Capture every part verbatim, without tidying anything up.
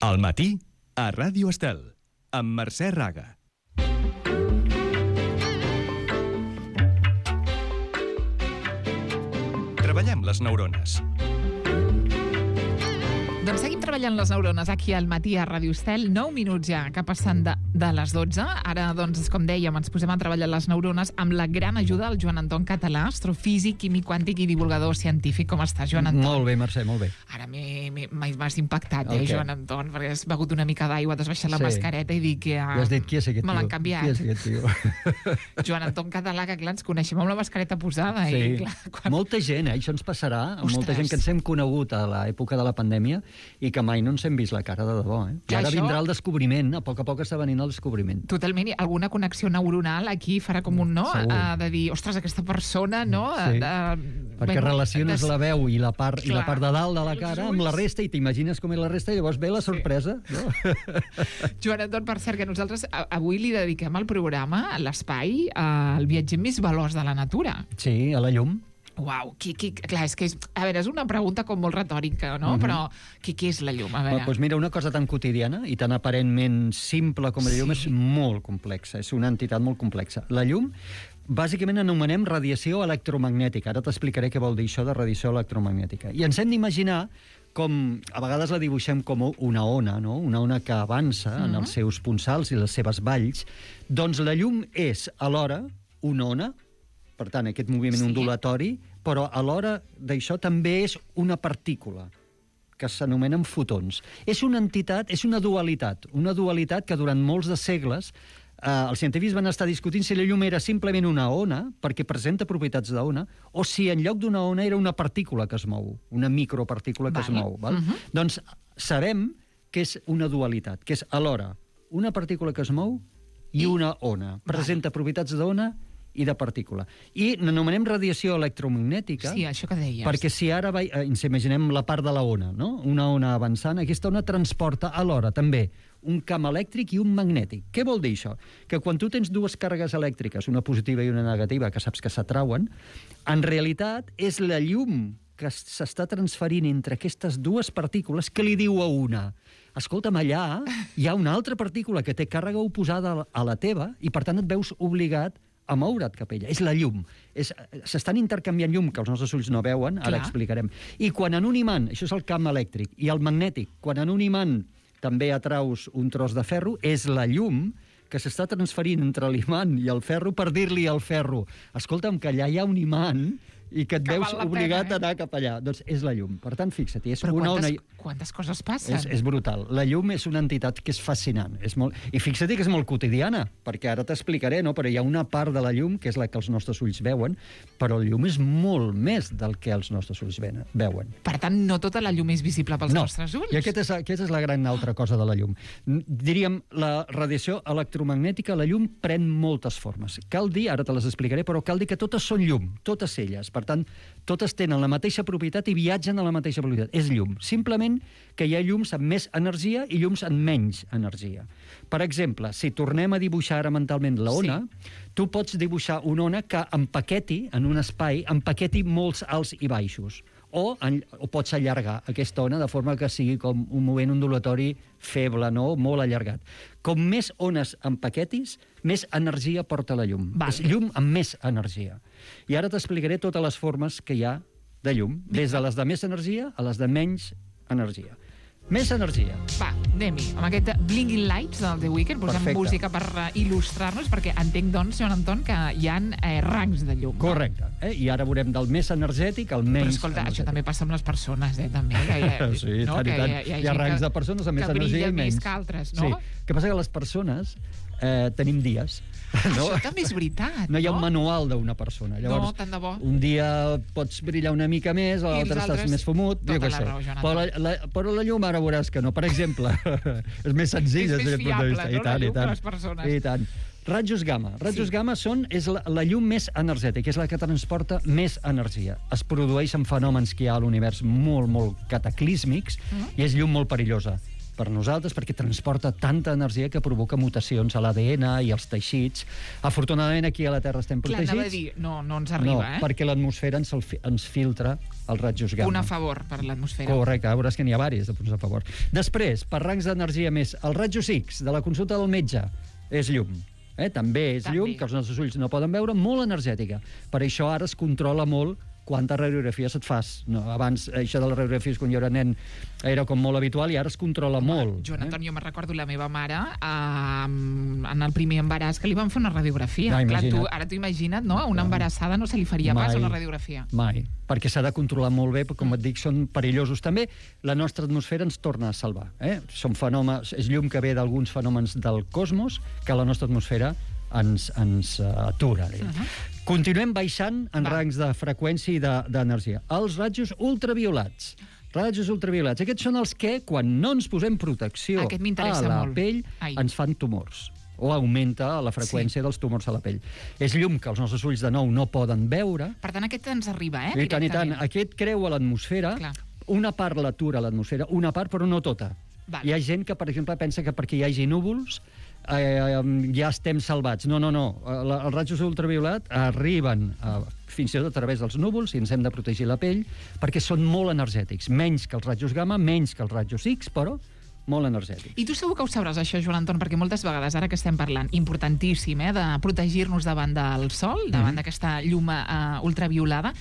Al matí, a Ràdio Estel, amb Mercè Raga. Treballem les neurones. Doncs seguim treballant les neurones aquí al matí a Ràdio Estel. nou minuts ja que passen de, de les dotze. Ara, doncs, com dèiem, ens posem a treballar les neurones amb la gran ajuda del Joan Anton Català, astrofísic, químic quàntic i divulgador científic. Com estàs, Joan Anton? Molt bé, Mercè, molt bé. Ara m'has impactat, eh, okay. Joan Anton, perquè has begut una mica d'aigua, t'has baixat la sí. mascareta i dic que... Ja has dit, qui és aquest tio? Me l'han canviat. Qui és aquest tio? Joan Anton Català, que clar, ens coneixem amb la mascareta posada. Sí. I, clar, quan... Molta gent, eh? Això ens passarà. Ostres. Molta gent que ens hem conegut a l'època de la pandèmia i que mai no ens hem vist la cara de debò, eh? I ara això... vindrà el descobriment, a poc a poc està venint el descobriment. Totalment, i alguna connexió neuronal aquí farà com un no, uh, de dir, ostres, aquesta persona, no? Sí. Uh, perquè bueno, relaciones des... la veu i la, part, i la part de dalt de la Els cara ulls. amb la resta i t'imagines com és la resta i llavors ve la sorpresa. Sí. No? Joan Anton, per cert, que nosaltres avui li dediquem al programa, a l'espai, al viatger més veloç de la natura. Sí, a la llum. Uau, qui, qui, clar, és que és, a veure, és una pregunta com molt retòrica, no? Uh-huh. Però què, què és la llum? A veure. Bueno, doncs mira, una cosa tan quotidiana i tan aparentment simple com la llum sí. és molt complexa, és una entitat molt complexa. La llum, bàsicament anomenem radiació electromagnètica. Ara t'explicaré què vol dir això de radiació electromagnètica. I ens hem d'imaginar com, a vegades la dibuixem com una ona, no? Una ona que avança uh-huh. en els seus punçals i les seves valls. Doncs la llum és, alhora, una ona, per tant, aquest moviment sí. ondulatori, però alhora d'això també és una partícula, que s'anomenen fotons. És una entitat, és una dualitat, una dualitat que durant molts de segles eh, els científics van estar discutint si la llum era simplement una ona, perquè presenta propietats d'ona, o si en lloc d'una ona era una partícula que es mou, una micropartícula que vale. es mou. Val? Uh-huh. Doncs sabem que és una dualitat, que és alhora una partícula que es mou i, I... una ona. Presenta vale. propietats d'ona i de partícula. I n'anomenem radiació electromagnètica sí, això que deies. perquè si ara va, eh, ens imaginem la part de la ona, no? Una ona avançant, aquesta ona transporta alhora també un camp elèctric i un magnètic. Què vol dir això? Que quan tu tens dues càrregues elèctriques, una positiva i una negativa, que saps que s'atrauen, en realitat és la llum que s'està transferint entre aquestes dues partícules que li diu a una: escolta'm, allà hi ha una altra partícula que té càrrega oposada a la teva i per tant et veus obligat a moure't cap a ella. És la llum. És, s'estan intercanviant llum que els nostres ulls no veuen, ara Clar. explicarem. I quan en un imant, això és el camp elèctric, i el magnètic, quan en un imant també atraus un tros de ferro, és la llum que s'està transferint entre l'imant i el ferro per dir-li al ferro: escolta'm, que allà hi ha un imant i que et que veus obligat pena, eh? a anar cap allà. Doncs és la llum. Per tant, fixa't, és Però una quantes, ona... quantes coses passen? És, és brutal. La llum és una entitat que és fascinant. És molt... I fixa't que és molt quotidiana, perquè ara t'explicaré, no? Però hi ha una part de la llum, que és la que els nostres ulls veuen, però la llum és molt més del que els nostres ulls veuen. Per tant, no tota la llum és visible pels no. nostres ulls? I aquesta és, aquesta és la gran altra cosa de la llum. Diríem, la radiació electromagnètica, la llum pren moltes formes. Cal dir, ara te les explicaré, però cal dir que totes són llum, totes elles. Per tant, totes tenen la mateixa propietat i viatgen a la mateixa propietat. És llum. Simplement que hi ha llums amb més energia i llums amb menys energia. Per exemple, si tornem a dibuixar ara mentalment la ona, sí. tu pots dibuixar una ona que empaqueti, en un espai, empaqueti molts alts i baixos. O, en, o pots allargar aquesta ona de forma que sigui com un moviment ondulatori feble, no? Molt allargat. Com més ones empaquetis, més energia porta la llum. Vale. És llum amb més energia. I ara t'explicaré totes les formes que hi ha de llum, des de les de més energia a les de menys energia. Més energia. Va, anem-hi. Amb aquest Blinking Lights del The Weeknd, posem Perfecte. música per uh, il·lustrar-nos, perquè entenc, doncs, Joan Anton, que hi ha eh, rangs de llum. Correcte. Eh? I ara veurem del més energètic al menys... Però escolta, energètic. Això també passa amb les persones, eh, també. Que hi ha, sí, no? tant i tant. Hi ha, hi ha, hi ha rangs de persones amb més energia i menys. Que altres, no? Sí. El que passa que les persones eh, tenim dies. No? Això també és veritat, no? hi ha no? un manual d'una persona. Llavors, no, tant de bo. Un dia pots brillar una mica més, l'altre estàs més fumut. Tota la raó, Joan Anton. Però la, la, però la llum ara veuràs que no. Per exemple, és més senzill és des més d'aquest punt de fiable, vista. no? I tant, La llum i tant. de les persones. I tant. Rajos gamma. Rajos sí. gamma són, és la, la llum més energètica, és la que transporta més energia. Es produeixen fenòmens que hi ha a l'univers molt, molt cataclísmics uh-huh. i és llum molt perillosa. per nosaltres, perquè transporta tanta energia que provoca mutacions a l'A D N i als teixits. Afortunadament, aquí a la Terra estem Clar, protegits. anava a dir, no, no ens arriba, no, eh? perquè l'atmosfera ens, el fi- ens filtra els rajos gamma. Un a favor per l'atmosfera. Correcte, veuràs que n'hi ha diversos de punts a favor. Després, per rangs d'energia més, el rajos X de la consulta del metge és llum. Eh? També és També. llum, que els nostres ulls no poden veure, molt energètica. Per això ara es controla molt quantes radiografies et fas. No, abans, això de les radiografies, quan jo era nen, era com molt habitual, i ara es controla molt. Joan Anton, jo me'n recordo la meva mare eh, en el primer embaràs que li van fer una radiografia. Ah, Clar, tu, imagina't. ara t'ho imagina't, no? A una embarassada no se li faria Mai. pas una radiografia. Mai, perquè s'ha de controlar molt bé, perquè, com et dic, són perillosos també. La nostra atmosfera ens torna a salvar. Eh? Són fenòmens, és llum que ve d'alguns fenòmens del cosmos que la nostra atmosfera ens, ens uh, atura. Uh -huh. Continuem baixant en Va. rangs de freqüència i de- d'energia. Els rajos ultraviolats. Rajos ultraviolats. Aquests són els que, quan no ens posem protecció Aquest a m'interessa la molt. pell, Ai. ens fan tumors o augmenta la freqüència sí. dels tumors a la pell. És llum que els nostres ulls, de nou, no poden veure. Per tant, aquest ens arriba, eh? I tant, i tant. directament. Aquest creua l'atmosfera. Clar. Una part l'atura a l'atmosfera, una part, però no tota. Val. Hi ha gent que, per exemple, pensa que perquè hi hagi núvols eh, ja estem salvats. No, no, no. La- Els rajos ultraviolat arriben a, fins i tot a través dels núvols i ens hem de protegir la pell perquè són molt energètics. Menys que els rajos gamma, menys que els rajos X, però molt energètics. I tu segur que ho sabràs, això, Joan Anton, perquè moltes vegades, ara que estem parlant, importantíssim, eh, de protegir-nos davant del sol, davant Mhm. d'aquesta llum uh, ultraviolada.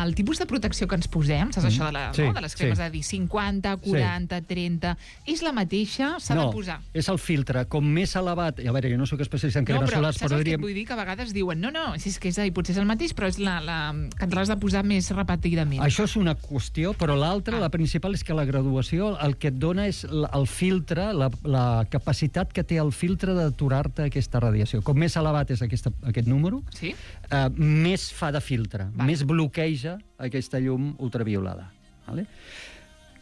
El tipus de protecció que ens posem, saps això de, la, Sí, no? de les cremes sí. de dir cinquanta, quaranta, trenta, és la mateixa, s'ha no, de posar. és el filtre. Com més elevat... A veure, jo no sóc especialista en No, cremes però solars, saps però el que diríem... et vull dir? Que a vegades diuen, no, no, si és que és, i potser és el mateix, però és la, la, que te l'has de posar més repetidament. Això és una qüestió, però l'altra, Ah. la principal, és que la graduació el que et dona és l- el filtre, la, la capacitat que té el filtre d'aturar-te aquesta radiació. Com més elevat és aquesta, aquest número, Sí? eh, més fa de filtre, Val. més bloqueja aquesta llum ultraviolada. Vale?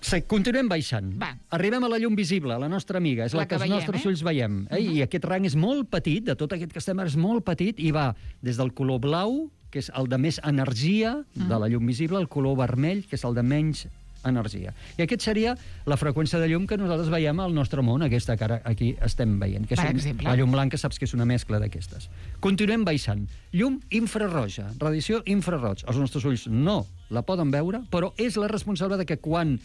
Se, continuem baixant. Va. Arribem a la llum visible, la nostra amiga, és La la, que que, els veiem, nostres eh? ulls veiem. Eh? I aquest rang és molt petit, de tot aquest que estem ara és molt petit, i va des del color blau, que és el de més energia de la llum visible, al color vermell, que és el de menys energia. I aquest seria la freqüència de llum que nosaltres veiem al nostre món, aquesta que ara aquí estem veient. Que Per és un- exemple. La llum blanca saps que és una mescla d'aquestes. Continuem baixant. Llum infrarroja, radiació infraroig. Els nostres ulls no la poden veure, però és la responsable de que quan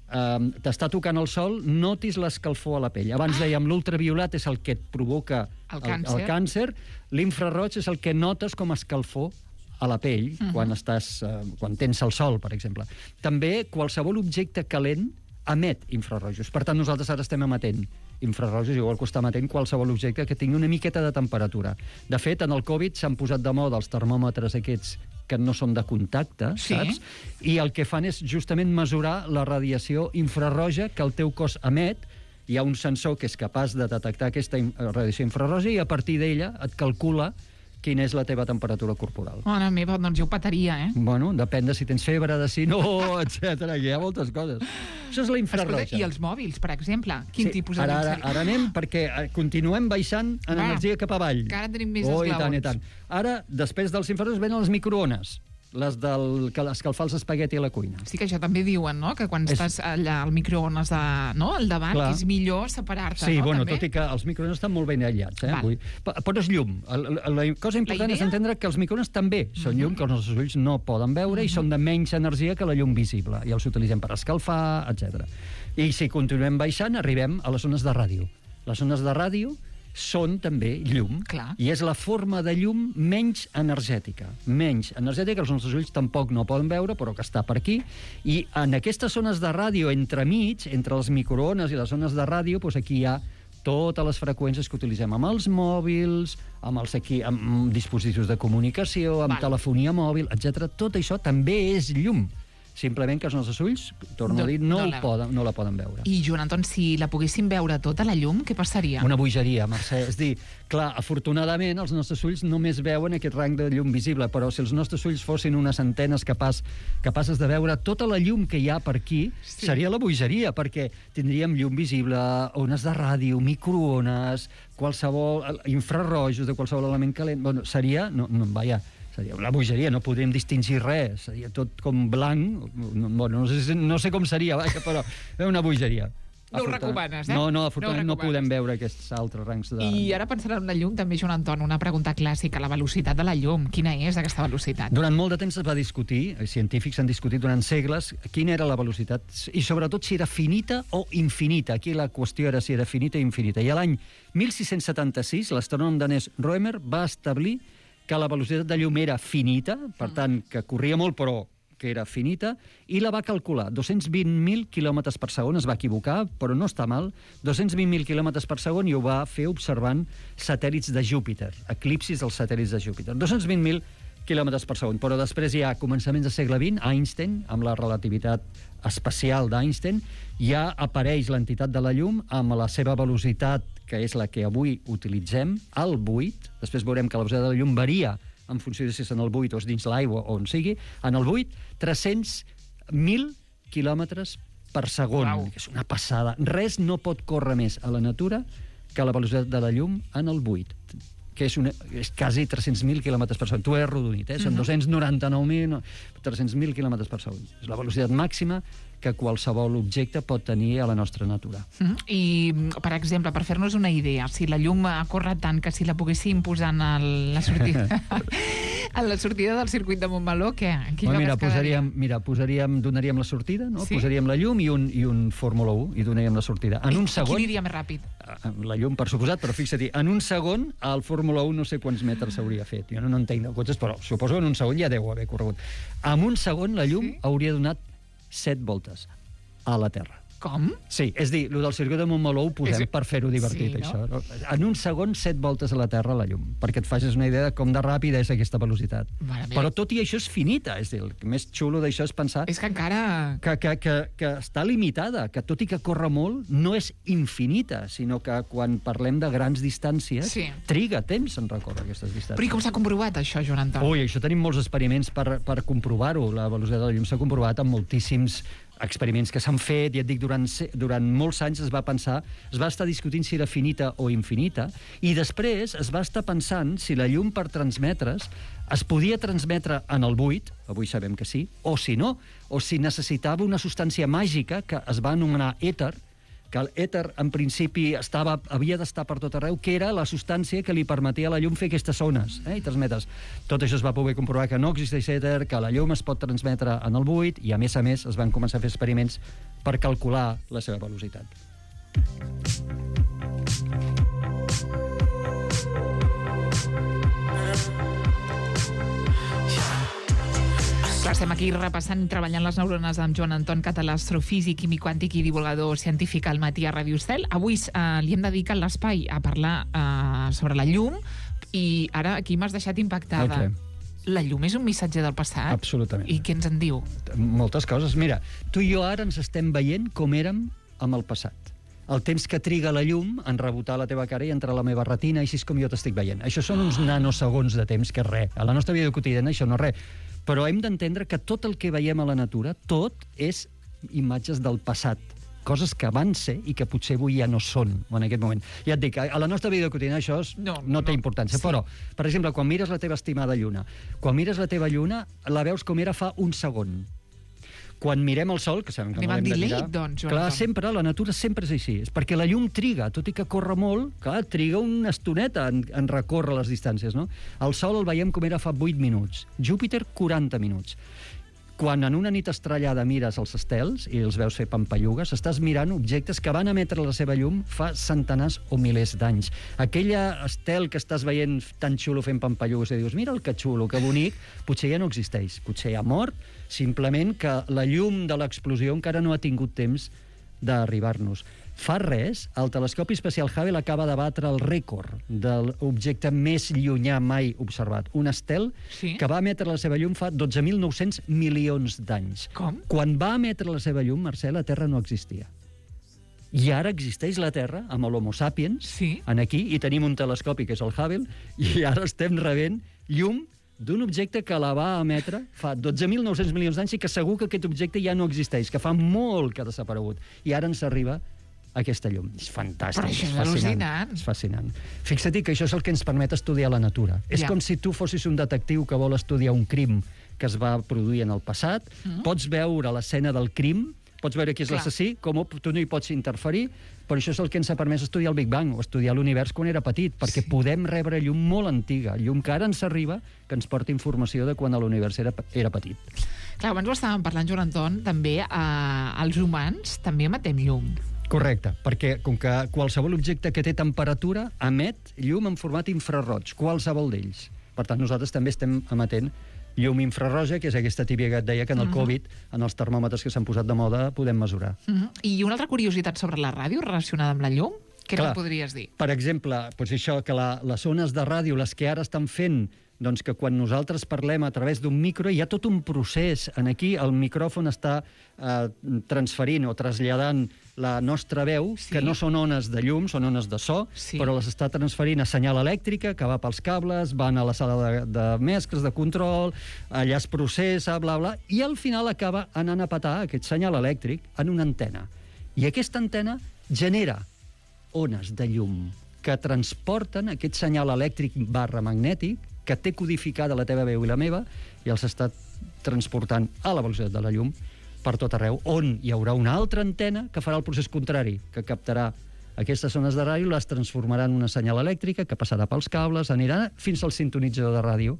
eh, t'està tocant el sol notis l'escalfor a la pell. Abans dèiem l'ultraviolat és el que et provoca El càncer. el càncer, l'infraroig és el que notes com a escalfor a la pell uh -huh. quan estàs eh, quan tens el sol, per exemple. També qualsevol objecte calent emet infrarrojos. Per tant, nosaltres ara estem emetent infrarrojos, igual que està emetent qualsevol objecte que tingui una miqueta de temperatura. De fet, en el Covid s'han posat de moda els termòmetres aquests que no són de contacte, Sí. saps? I el que fan és justament mesurar la radiació infrarroja que el teu cos emet. Hi ha un sensor que és capaç de detectar aquesta in- radiació infrarroja i a partir d'ella et calcula quina és la teva temperatura corporal. Mare meva, doncs jo ho petaria, eh? Bueno, depèn de si tens febre, de si no, etcètera. Hi ha moltes coses. Això és la infrarroja. Escolta, i els mòbils, per exemple? Quin tipus de ara, llum ara, seria? ara anem, perquè eh, continuem baixant en Va, energia cap avall. que ara tenim més oh, i esglaons. tant, i tant. Ara, després dels infrarrojos, venen les microones, les del que escalfar els espagueti a la cuina. Sí que això també diuen, no?, que quan És- estàs allà al microones de, no, al davant, Clar. és millor separar-te, Sí, no? bueno, també? tot i que els microones estan molt ben aïllats. Eh? Val. Vull... Però, però és llum. La, la, la cosa important La és idea? entendre que els microones també són llum, que els nostres ulls no poden veure, i són de menys energia que la llum visible. I els utilitzem per escalfar, etcètera. I si continuem baixant, arribem a les zones de ràdio. Les zones de ràdio són també llum. Clar. I és la forma de llum menys energètica. Menys energètica, que els nostres ulls tampoc no poden veure, però que està per aquí. I en aquestes zones de ràdio, entremig, entre les microones i les zones de ràdio, doncs aquí hi ha totes les freqüències que utilitzem amb els mòbils, amb els aquí, amb dispositius de comunicació, amb Val. telefonia mòbil, etcètera. Tot això també és llum. Simplement que els nostres ulls, torno No- a dir, no, no el la- poden, no la poden veure. I, Joan Anton, si la poguéssim veure tota, la llum, què passaria? Una bogeria, Mercè. És dir, clar, afortunadament els nostres ulls només veuen aquest rang de llum visible, però si els nostres ulls fossin unes antenes capaç, capaces de veure tota la llum que hi ha per aquí, Sí. seria la bogeria, perquè tindríem llum visible, ones de ràdio, microones, qualsevol infrarrojos de qualsevol element calent. Bueno, seria... No, no, vaja, seria una bogeria, no podríem distingir res, seria tot com blanc, no, bueno, no, sé, no sé com seria, vaja, però és una bogeria. No ho recomanes, eh? No, no, afortunadament no, no podem veure aquests altres rangs de... I ara pensant en la llum, també, Joan Anton, una pregunta clàssica, la velocitat de la llum. Quina és aquesta velocitat? Durant molt de temps es va discutir, científics han discutit durant segles, quina era la velocitat, i sobretot si era finita o infinita. Aquí la qüestió era si era finita o infinita. I a l'any mil sis-cents setanta-sis, l'astrònom danès Rømer va establir que la velocitat de llum era finita, per tant, que corria molt, però que era finita, i la va calcular. dos-cents vint mil quilòmetres per segon, es va equivocar, però no està mal, dos-cents vint mil quilòmetres per segon, i ho va fer observant satèl·lits de Júpiter, eclipsis dels satèl·lits de Júpiter. dos-cents vint mil quilòmetres per segon, però després ja a començaments del segle vint, Einstein, amb la relativitat especial d'Einstein, ja apareix l'entitat de la llum amb la seva velocitat, que és la que avui utilitzem, al buit. Després veurem que la velocitat de la llum varia en funció de si és en el buit o és dins l'aigua o on sigui, en el buit, tres-cents mil quilòmetres per segon. Wow. És una passada. Res no pot córrer més a la natura que la velocitat de la llum en el buit, que és, una, és quasi tres-cents mil quilòmetres per segon. Tu he arrodonit, eh? Són Mhm. dos-cents noranta-nou mil, no, tres-cents mil quilòmetres per segon. És la velocitat màxima que qualsevol objecte pot tenir a la nostra natura. Mm. I, per exemple, per fer-nos una idea, si la llum corre tant que si la poguéssim posar en el, la sortida en la sortida del circuit de Montmeló, què? Quin Bueno, lloc mira, es quedaria? posaríem, mira, posaríem, donaríem la sortida, no? Sí. Posaríem la llum i un, i un Fórmula un i donaríem la sortida. En un segon... Qui aniria més ràpid? La llum, per suposat, però fixa-t'hi, en un segon el Fórmula un no sé quants metres s'hauria fet. Jo no, no entenc de cotxes, però suposo que en un segon ja deu haver corregut. En un segon la llum Sí? hauria donat set voltes a la Terra. Com? Sí, és dir, el del circuit de Montmeló ho posem És- per fer-ho divertit, Sí, no? això. No? En un segon, set voltes a la Terra la llum, perquè et facis una idea de com de ràpida és aquesta velocitat. Mare meva. Però tot i això és finita, és dir, el més xulo d'això és pensar És que encara... que, que, que, que està limitada, que tot i que corre molt, no és infinita, sinó que quan parlem de grans distàncies, Sí. triga temps en recórrer aquestes distàncies. Però i com s'ha comprovat, això, Joan Anton? Ui, això tenim molts experiments per, per comprovar-ho. La velocitat de la llum s'ha comprovat amb moltíssims experiments que s'han fet, i et dic, durant, se- durant molts anys es va pensar, es va estar discutint si era finita o infinita, i després es va estar pensant si la llum per transmetre's es podia transmetre en el buit, avui sabem que sí, o si no, o si necessitava una substància màgica que es va anomenar èter, que l'èter, en principi, estava, havia d'estar per tot arreu, que era la substància que li permetia a la llum fer aquestes ones, eh, i transmetre's. Tot això es va poder comprovar que no existeix èter, que la llum es pot transmetre en el buit, i a més a més es van començar a fer experiments per calcular la seva velocitat. Clar, estem aquí repassant i treballant les neurones amb Joan Anton Català, astrofísic, químic quàntic i divulgador científic al matí a Ràdio Estel. Avui eh, li hem dedicat l'espai a parlar eh, sobre la llum, i ara aquí m'has deixat impactada. El què? La llum és un missatger del passat? Absolutament. I què ens en diu? Moltes coses. Mira, tu i jo ara ens estem veient com érem amb el passat. El temps que triga la llum en rebotar la teva cara i entrar a la meva retina, així és com jo t'estic veient. Això són uns nanosegons de temps, que és res. A la nostra vida quotidiana això no és res. Però hem d'entendre que tot el que veiem a la natura, tot és imatges del passat, coses que van ser i que potser avui ja no són en aquest moment. Ja et dic, a la nostra vida quotidiana això és, No, no, no té no. importància, Sí. però, per exemple, quan mires la teva estimada lluna, quan mires la teva lluna, la veus com era fa un segon. Quan mirem el sol, que sabem que Anem no l'hem amb de delay, mirar... doncs, Joan clar, Anton. sempre, la natura sempre és així. És perquè la llum triga, tot i que corre molt, clar, triga una estoneta en, en recórrer les distàncies, no? El sol el veiem com era fa vuit minuts. Júpiter, quaranta minuts. Quan en una nit estrellada mires els estels i els veus fer pampallugues, estàs mirant objectes que van emetre la seva llum fa centenars o milers d'anys. Aquella estel que estàs veient tan xulo fent pampallugues i dius, mira el que xulo, que bonic, potser ja no existeix. Potser ja ha mort, simplement que la llum de l'explosió encara no ha tingut temps d'arribar-nos. Fa res, el telescopi espacial Hubble acaba de batre el rècord de l'objecte més llunyà mai observat. Un estel Sí? que va emetre la seva llum fa dotze mil nou-cents milions d'anys. Com? Quan va emetre la seva llum, Mercè, la Terra no existia. I ara existeix la Terra, amb l'Homo sapiens, Sí. en aquí, i tenim un telescopi, que és el Hubble, i ara estem rebent llum d'un objecte que la va emetre fa dotze mil nou-cents milions d'anys i que segur que aquest objecte ja no existeix, que fa molt que ha desaparegut. I ara ens arriba aquesta llum. És fantàstic, Però això és fascinant. al·lucinant. És fascinant. Fixa't que això és el que ens permet estudiar la natura. És Ja. com si tu fossis un detectiu que vol estudiar un crim que es va produir en el passat. Mm. Pots veure l'escena del crim, pots veure qui és Clar. l'assassí, com tu no hi pots interferir, però això és el que ens ha permès estudiar el Big Bang o estudiar l'univers quan era petit, perquè Sí. podem rebre llum molt antiga, llum que ara ens arriba, que ens porta informació de quan l'univers era, era petit. Clar, abans ho estàvem parlant, Joan Anton, també eh, els humans també emetem llum. Correcte, perquè com que qualsevol objecte que té temperatura emet llum en format infraroig, qualsevol d'ells. Per tant, nosaltres també estem emetent llum infrarroja, que és aquesta típica que et deia que en el Mhm. Covid, en els termòmetres que s'han posat de moda, podem mesurar. Mm -hmm. I una altra curiositat sobre la ràdio relacionada amb la llum? Què Clar. ens podries dir? Per exemple, doncs això, que la, les ones de ràdio, les que ara estan fent, doncs que quan nosaltres parlem a través d'un micro, hi ha tot un procés. En aquí el micròfon està eh, transferint o traslladant la nostra veu, Sí. que no són ones de llum, són ones de so, Sí. però les està transferint a senyal elèctrica, que va pels cables, van a la sala de, de mescles, de control, allà es processa, bla, bla, i al final acaba anant a petar aquest senyal elèctric en una antena. I aquesta antena genera ones de llum que transporten aquest senyal elèctric barra magnètic que té codificada la teva veu i la meva i els està transportant a la velocitat de la llum per tot arreu, on hi haurà una altra antena que farà el procés contrari, que captarà aquestes ones de ràdio, les transformarà en una senyal elèctrica que passarà pels cables, anirà fins al sintonitzador de ràdio.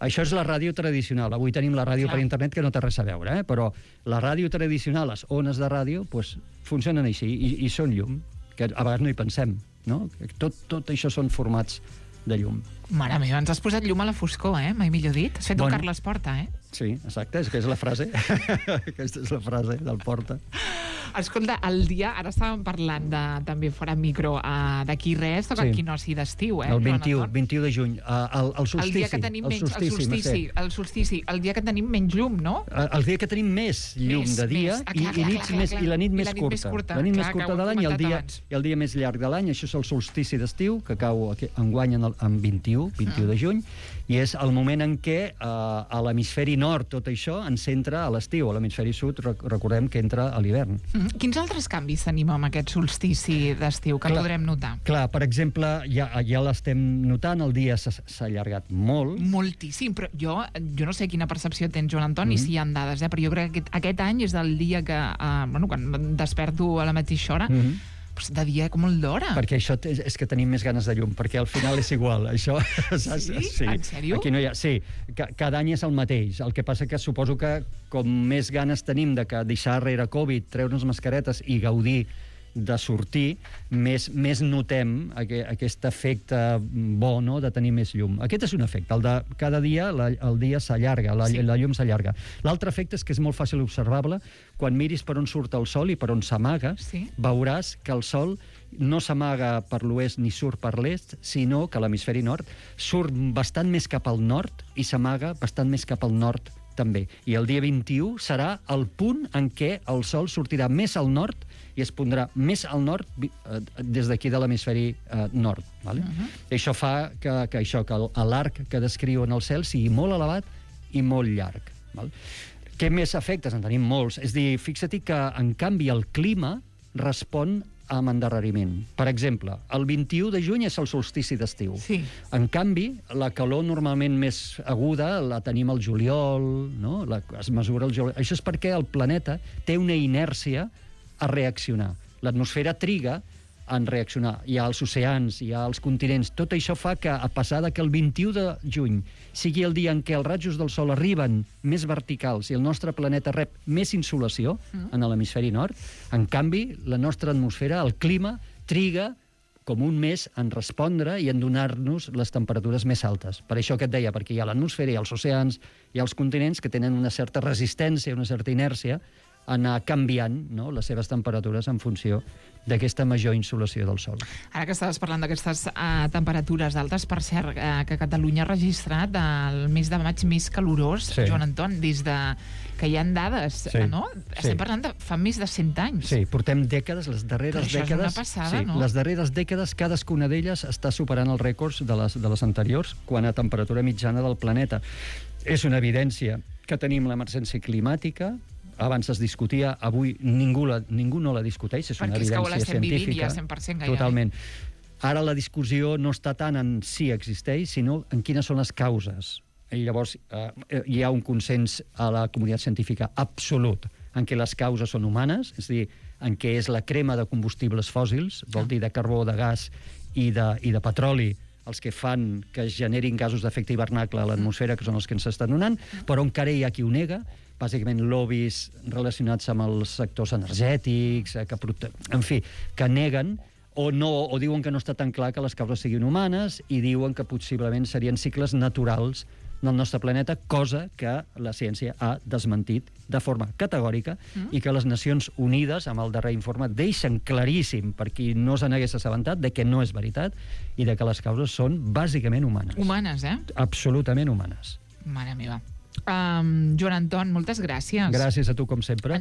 Això és la ràdio tradicional. Avui tenim la ràdio Clar. per internet, que no té res a veure, eh? Però la ràdio tradicional, les ones de ràdio, pues, funcionen així i, i són llum, que a vegades no hi pensem, no? Tot, tot això són formats de llum. Mare meva, ens has posat llum a la foscor, eh? Mai millor dit. Has fet Bueno. un Carles Porta, eh? Sí, exacte, és que és la frase. Aquesta és la frase del Porta. Escolta, el dia, ara estàvem parlant de, també fora micro, uh, d'aquí res, toca Sí. equinoci d'estiu, eh? El Joan vint-i-u, Anton? vint-i-u de juny, uh, el, el solstici. El dia que tenim menys, el solstici, Mercè. el solstici, el dia que tenim menys llum, no? El, el dia que tenim més llum Més, de dia més. Ah, i, clar, i, clar, nits clar, més, clar. i la nit I més la nit curta. més curta. La nit Clar, més que ho curta hem de l'any i el comentat dia, abans. i el dia més llarg de l'any. Això és el solstici d'estiu, que cau aquí, enguany en, el, en vint-i-u, vint-i-u de juny, i és el moment en què eh, a l'hemisferi nord tot això ens entra a l'estiu. A l'hemisferi sud rec recordem que entra a l'hivern. Mm. Quins altres canvis tenim amb aquest solstici d'estiu que Clar. podrem notar? Clar, per exemple, ja, ja l'estem notant, el dia s'ha s'ha allargat molt. Moltíssim, però jo, jo no sé quina percepció tens, Joan Anton, Mm. i si hi ha dades, eh? Però jo crec que aquest, aquest any és el dia que, uh, bueno, quan em desperto a la mateixa hora, Mm -hmm. pues de dia com molt d'hora. Perquè això és, és que tenim més ganes de llum, perquè al final és igual. Això, Sí? En sèrio? Aquí no hi ha, sí, ca, cada any és el mateix. El que passa que suposo que com més ganes tenim de que deixar rere Covid, treure'ns mascaretes i gaudir de sortir, més, més notem aqu aquest efecte bo, no?, de tenir més llum. Aquest és un efecte. El de cada dia la, el dia s'allarga, la, Sí. la llum s'allarga. L'altre efecte és que és molt fàcil observable. Quan miris per on surt el sol i per on s'amaga, Sí. veuràs que el sol no s'amaga per l'oest ni surt per l'est, sinó que l'hemisferi nord surt bastant més cap al nord i s'amaga bastant més cap al nord també. I el dia vint-i-u serà el punt en què el sol sortirà més al nord i es pondrà més al nord eh, des d'aquí de l'hemisferi eh, nord. Vale? Uh-huh. Això fa que, que, això, que l'arc que descriu en el cel sigui molt elevat i molt llarg. Val? Què més efectes? En tenim molts. És a dir, fixa't que, en canvi, el clima respon amb endarreriment. Per exemple, el vint-i-u de juny és el solstici d'estiu. Sí. En canvi, la calor normalment més aguda la tenim al juliol, no? La, es mesura el juliol. Això és perquè el planeta té una inèrcia a reaccionar. L'atmosfera triga en reaccionar. Hi ha els oceans, hi ha els continents. Tot això fa que, a pesar de que el vint-i-u de juny sigui el dia en què els rajos del sol arriben més verticals i el nostre planeta rep més insolació mm. en l'hemisferi nord, en canvi, la nostra atmosfera, el clima, triga com un mes en respondre i en donar-nos les temperatures més altes. Per això que et deia, perquè hi ha l'atmosfera, hi ha els oceans, hi ha els continents que tenen una certa resistència, una certa inèrcia, anar canviant, no?, les seves temperatures en funció d'aquesta major insolació del sol. Ara que estaves parlant d'aquestes uh, temperatures altes, per cert, uh, que Catalunya ha registrat el mes de maig més calorós, Sí. Joan Anton, des de que hi ha dades, Sí. uh, no? Estem Sí. parlant de fa més de cent anys. Sí, portem dècades, les darreres Però això és dècades... una passada, sí, no? Les darreres dècades, cadascuna d'elles està superant els rècords de les, de les anteriors quan a temperatura mitjana del planeta. És una evidència que tenim l'emergència climàtica. Abans es discutia, avui ningú, la, ningú no la discuteix, és una Perquè és que ho evidència l'estem vivint científica. ja cent per cent gairebé. Totalment. Ara la discussió no està tant en si existeix, sinó en quines són les causes. I llavors eh, hi ha un consens a la comunitat científica absolut en què les causes són humanes, és a dir, en què és la crema de combustibles fòssils, vol dir de carbó, de gas i de, i de petroli, els que fan que es generin gasos d'efecte hivernacle a l'atmosfera, que són els que ens estan donant, però encara hi ha qui ho nega, bàsicament lobbies relacionats amb els sectors energètics, que, en fi, que neguen o, no, o diuen que no està tan clar que les causes siguin humanes i diuen que possiblement serien cicles naturals del nostre planeta, cosa que la ciència ha desmentit de forma categòrica mm. i que les Nacions Unides, amb el darrer informe, deixen claríssim, per qui no se n'hagués assabentat, de que no és veritat i de que les causes són bàsicament humanes. Humanes, eh? Absolutament humanes. Mare meva. Um, Joan Anton, moltes gràcies. Gràcies a tu, com sempre.